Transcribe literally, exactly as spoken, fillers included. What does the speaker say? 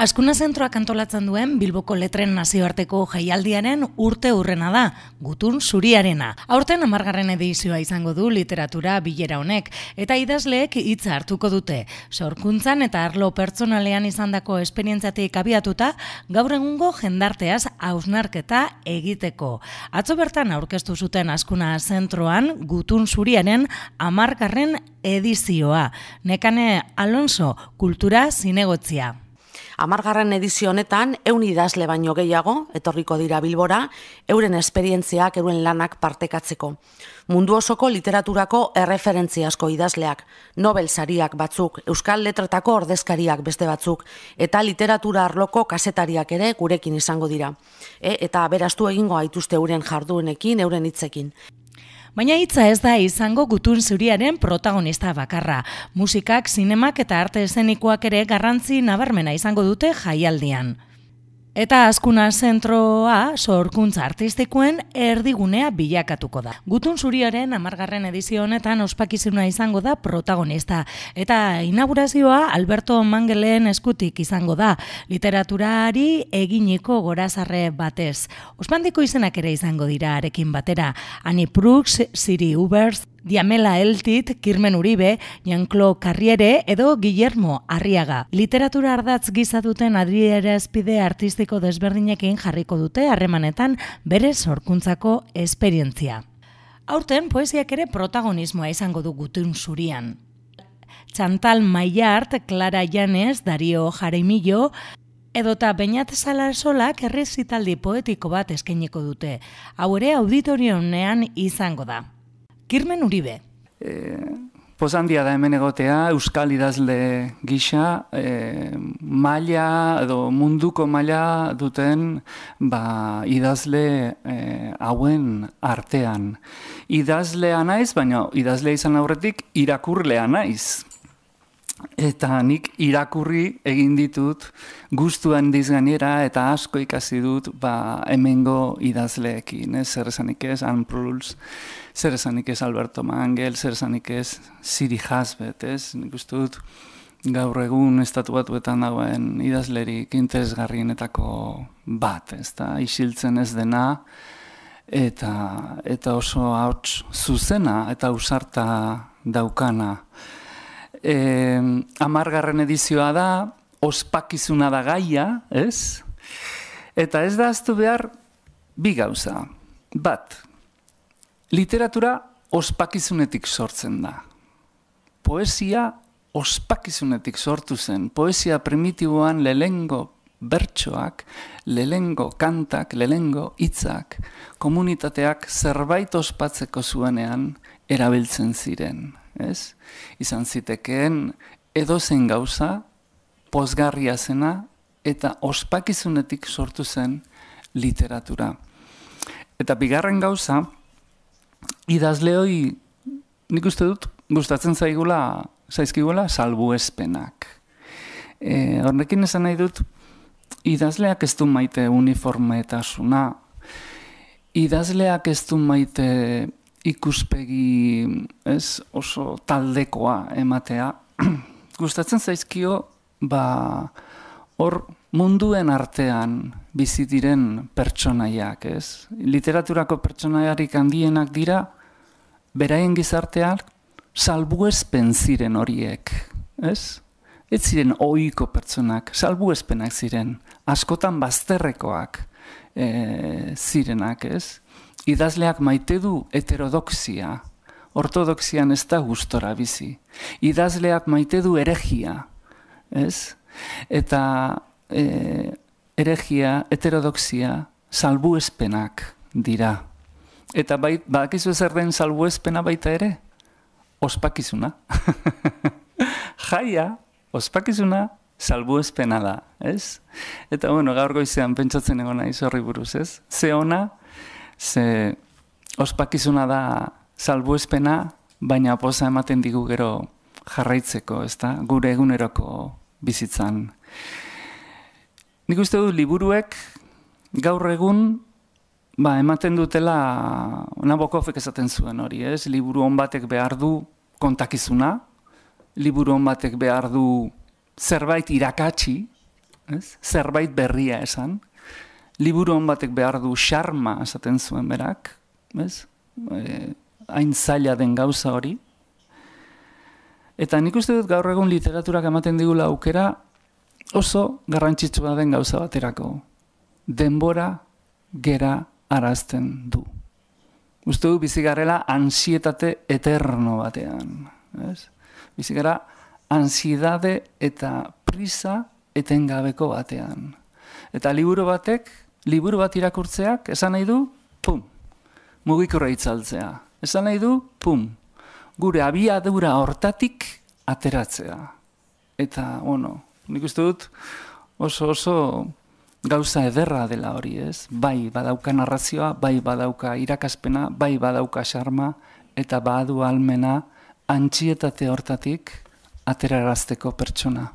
Azkuna zentroak antolatzen duen Bilboko Letren nazioarteko jaialdiaren urte hurrena da, Gutun Zuriarena. Aurten hamargarren edizioa izango du literatura bilera honek, eta idazleek hitza hartuko dute. Sorkuntzan eta arlo pertsonalean izandako esperientziatik abiatuta, gaur egungo jendarteaz hausnarketa egiteko. Atzo bertan aurkeztu zuten Azkuna zentroan Gutun Zuriaren hamargarren edizioa. Nekane Alonso, kultura zinegotzia. Hamargarren edizio honetan, ehun idazle baino gehiago, etorriko dira Bilbora, euren esperientziak, euren lanak partekatzeko. Mundu osoko literaturako erreferentziazko idazleak, Nobel sariak batzuk, Euskal Letretako ordezkariak beste batzuk, eta literatura arloko kazetariak ere gurekin izango dira. E, eta beraztu egingo gaituzte euren jarduenekin, euren hitzekin. Baina hitza ez da izango Gutun Zuriaren protagonista bakarra. Musikak, zinemak eta arte eszenikoak ere garrantzi nabarmena izango dute jaialdian. Eta Azkuna zentroa sorkuntza artistikoen erdigunea bilakatuko da. Gutun Zuriaren hamargarren edizio honetan ospakizuna izango da protagonista. Eta inaugurazioa Alberto Mangelen eskutik izango da, literaturari eginiko gorazarre batez. Ospandiko izenak ere izango dira arekin batera. Ani Prux, Siri Ubers, Diamela Eltit, Kirmen Uribe, Jean-Claude Carriere edo Guillermo Arriaga. Literatura ardatz giza duten adierazpide artistiko desberdinekin jarriko dute harremanetan bere sorkuntzako esperientzia. Aurten poesiak ere protagonismoa izango du Gutun Zurian. Chantal Maillart, Clara Llanes, Dario Jaramillo edota Beñat Salasolak errezitaldi poetiko bat eskainiko dute. Hau ere auditorionean izango da. Kirmen Uribe. E, Pozandia da hemen egotea, euskal idazle gisa, e, maila edo munduko maila duten ba, idazle e, hauen artean. Idazlea naiz, baina idazlea izan aurretik irakurlea naiz. Eta nik irakurri egin ditut gustuan dizgainera eta asko ikasi dut ba, hemengo idazleekin. Ez? Zer esanik ez, Anne Proulx, zer esanik ez Alberto Mangel, zer esanik ez Siri Hasbet. Ez? Nik uste dut gaur egun estatu batuetan dagoen idazlerik interesgarrienetako bat. Ez da, isiltzen ez dena eta, eta oso hauts zuzena eta ausarta daukana. Eh, hamargarren edizioa da, ospakizuna da gaia, ez? Eta ez da ahaztu behar bi gauza. Bat, literatura ospakizunetik sortzen da. Poesia ospakizunetik sortu zen. Poesia primitiboan lehengo bertsoak, lehengo kantak, lehengo hitzak, komunitateak zerbait ospatzeko zuenean erabiltzen ziren. Ez? Izan zitekeen edozein gauza, pozgarria zena eta ospakizunetik sortu zen literatura. Eta bigarren gauza, idazleoi nik uste dut gustatzen zaigula, zaizkigula salbuespenak. E, horrekin esan nahi dut, idazleak ez du maite uniformetasuna, idazleak ez du maite ikuspegi ez, oso taldekoa ematea. Gustatzen zaizkio ba, hor munduen artean bizi diren pertsonaiak. Ez? Literaturako pertsonaiarik handienak dira, beraien gizarteak salbuespen ziren horiek. Ez? Ez ziren ohiko pertsonak, salbuespenak ziren, askotan bazterrekoak e, zirenak. Ez? Idazleak maite du heterodoxia, ortodoxian ez da gustora bizi. Idazleak maite du eregia, ez? Eta e, eregia, heterodoxia, salbuespenak dira. Eta bait, badakizu zer den salbuespena baita ere? Ospakizuna. Jaia, ospakizuna, salbuespena da, ez? Eta bueno, gaur goizean pentsatzen egon naiz horri buruz, ez? Ze ona, ze ospakizuna da salbuespena, baina poza ematen digu gero jarraitzeko, ezta? Gure eguneroko bizitzan. Nik uste dut liburuek gaur egun ba, ematen dutela, Nabokofek esaten zuen hori, ez? Liburu on batek behar du kontakizuna, liburu on batek behar du zerbait irakatsi, ez? Zerbait berria esan. Liburu hon batek behar du xarma esaten zuen berak, ez? E, hain zaila den gauza hori. Eta nik uste dut gaur egun literaturak ematen digula aukera oso garrantzitsua den gauza baterako. Denbora gera arazten du. Uste du bizigarrela ansietate eterno batean. Ez? Bizigara ansiedade eta prisa etengabeko batean. Eta liburu batek, liburu bat irakurtzeak, esan nahi du, pum, mugikorra itzaltzea. Esan nahi du, pum, gure abiadura hortatik ateratzea. Eta, bueno, nik uste dut oso oso gauza ederra dela hori, ez? Bai badauka narrazioa, bai badauka irakaspena, bai badauka xarma, eta badu almena antsietate hortatik aterarazteko pertsona.